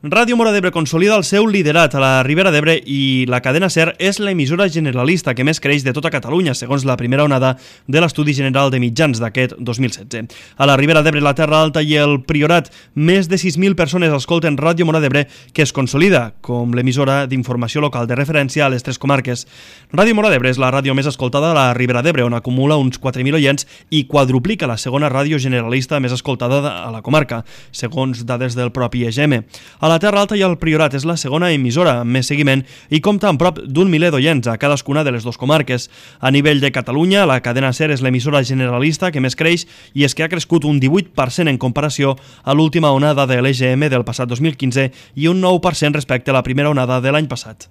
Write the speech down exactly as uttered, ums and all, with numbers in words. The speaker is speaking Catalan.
Ràdio Móra d'Ebre consolida el seu liderat a la Ribera d'Ebre i la cadena SER és l'emissora generalista que més creix de tota Catalunya, segons la primera onada de l'Estudi General de Mitjans d'aquest dos mil setze. A la Ribera d'Ebre, la Terra Alta i el Priorat, més de sis mil persones escolten Ràdio Móra d'Ebre, que es consolida com l'emissora d'informació local de referència a les tres comarques. Ràdio Móra d'Ebre és la ràdio més escoltada a la Ribera d'Ebre, on acumula uns quatre mil oients i quadruplica la segona ràdio generalista més escoltada a la comarca, segons dades del propi E G M. A la Terra Alta i el Priorat és la segona emissora amb més seguiment i compta amb prop d'un miler d'oients a cadascuna de les dues comarques. A nivell de Catalunya, la cadena SER és l'emissora generalista que més creix i és que ha crescut un divuit per cent en comparació a l'última onada de l'E G M del passat dos mil quinze i un nou per cent respecte a la primera onada de l'any passat.